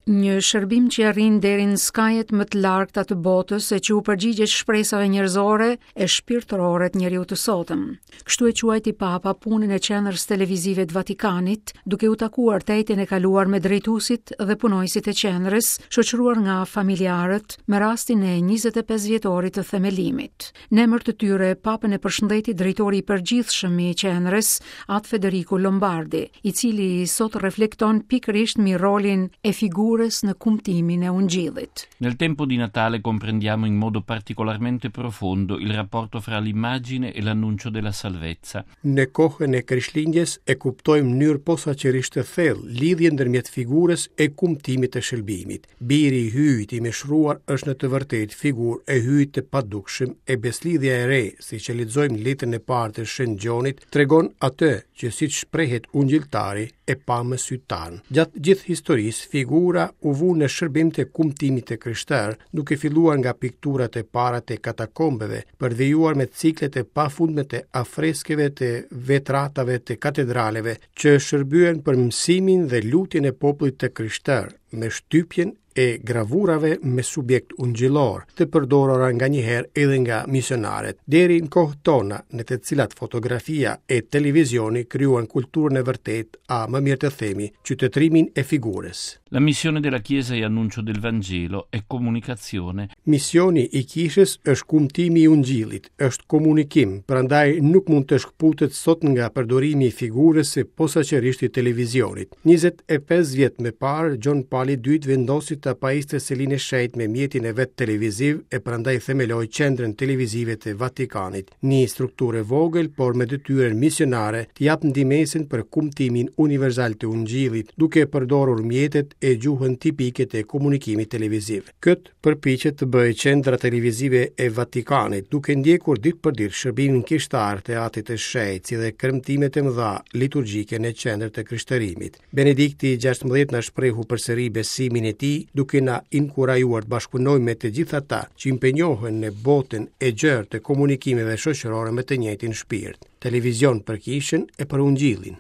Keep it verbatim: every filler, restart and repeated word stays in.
Një shërbim që arrin deri në skajet më të largëta të botës e që u përgjigjet shpresave njerëzore e shpirtërore të njeriu të sotëm. Kështu e quajti Papa punën e qendrës televizive të Vatikanit, duke u takuar të enjten e kaluar me drejtuesit dhe punonjësit e qendrës, shoqëruar nga familjarët me rastin e njëzet e pesë vjetorit të themelimit. Në emër të tyre, Papën e përshëndeti drejtori i përgjithshëm i qendrës, At Federico Lombardi, i cili sot reflekton pikërisht mbi rolin e figurës në kumtimin e Ungjillit. Nel tempo di Natale comprendiamo in modo particolarmente profondo il rapporto fra l'immagine e l'annuncio della salvezza. Në kohën e Krishtlindjes e kuptojmë në mënyrë posaçërisht të thellë lidhjen ndërmjet figurës e kumtimit të shëlbimit. Biri i Hyjit i mishruar është në të vërtetë figurë e Hyjit të padukshëm e beslidhja e re, siç e lexojmë në letrën e parë të Shën Gjonit, tregon atë që siç shprehet ungjilltari e pa me sy tanë. Gjatë gjithë historisë, figura u vu në shërbim të kumtimit të krishterë, duke filluar nga pikturat e para të katakombeve, për vijuar me ciklet e pafundme të afreskeve të vetratave të katedraleve, që shërbyen për mësimin dhe lutjen e popullit të krishterë, me shtypjen e gravurave me subjekt ungjillor, të përdorura nganjëherë edhe nga misionaret, deri në kohët tona, në të cilat fotografia e televizioni krijuan kulturën e vërtetë, a më mirë të themi, qytetërimin e figurës. La missione della Chiesa è annuncio del Vangelo, è comunicazione. Misioni i kishës është kumtimi i ungjillit, është komunikim, prandaj nuk mund të shkëputet sot nga përdorimi i figurës së posaçërisht i televizionit. njëzet e pesë vjet më parë, Gjon Pali i dytë vendosi ta pajiste Selinë e Shenjtë me mjetin e vet televiziv e prandaj themeloi qendrën televizive të Vatikanit, një strukturë e vogël por me detyrën misionare të jap ndihmesën për kumtimin universal të ungjillit, duke përdorur mjetet e gjuhën tipike të komunikimit televiziv. Kët përpiqet të bëjë qendra televizive e Vatikanit, duke ndjekur ditë për ditë shërbimin kishtar të Atit të Shenjtë, si dhe kremtimet e mëdha liturgjike në qendër të krishterimit. Benedikti gjashtëmbëdhjetë na shprehu përsëri besimin e tij, duke na inkurajuar të bashkëpunojmë me të gjithë ata që impenjohen në botën e gjerë të komunikimeve shoqërore me të njëjtin shpirt. Televizion për kishën e për ungjillin.